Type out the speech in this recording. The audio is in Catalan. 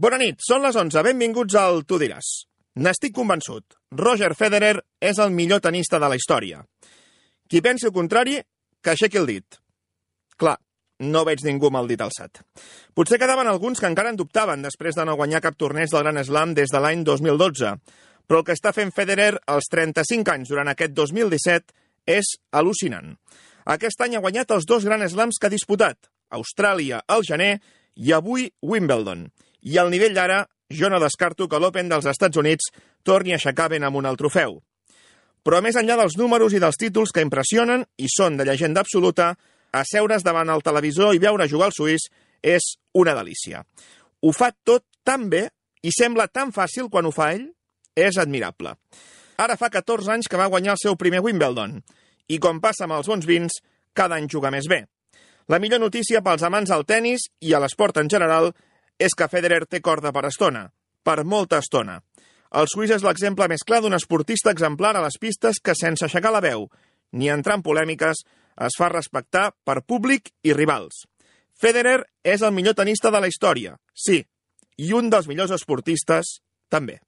Bona nit, són les 11, benvinguts al Tu diràs. N'estic convençut, Roger Federer és el millor tenista de la història. Qui pensi el contrari, que aixequi el dit. Clar, no veig ningú amb el dit alçat. Potser quedaven alguns que encara en dubtaven després de no guanyar cap torneig del Grand Slam des de l'any 2012, però el que està fent Federer als 35 anys durant aquest 2017 és al·lucinant. Aquest any ha guanyat els 2 Grand Slams que ha disputat, Austràlia al gener i avui Wimbledon. I al nivell d'ara, jo no descarto que l'Open dels Estats Units torni a aixecar ben amunt el trofeu. Però més enllà dels números i dels títols que impressionen i són de llegenda absoluta, asseure's davant el televisor i veure jugar al suís és una delícia. Ho fa tot tan bé i sembla tan fàcil quan ho fa ell, és admirable. Ara fa 14 anys que va guanyar el seu primer Wimbledon i, com passa amb els bons vins, cada any juga més bé. La millor notícia pels amants del tennis i a l'esport en general és que Federer té corda per estona, per molta estona. El suís és l'exemple més clar d'un esportista exemplar a les pistes que, sense aixecar la veu ni entrar en polèmiques, es fa respectar per públic i rivals. Federer és el millor tenista de la història, sí, i un dels millors esportistes, també.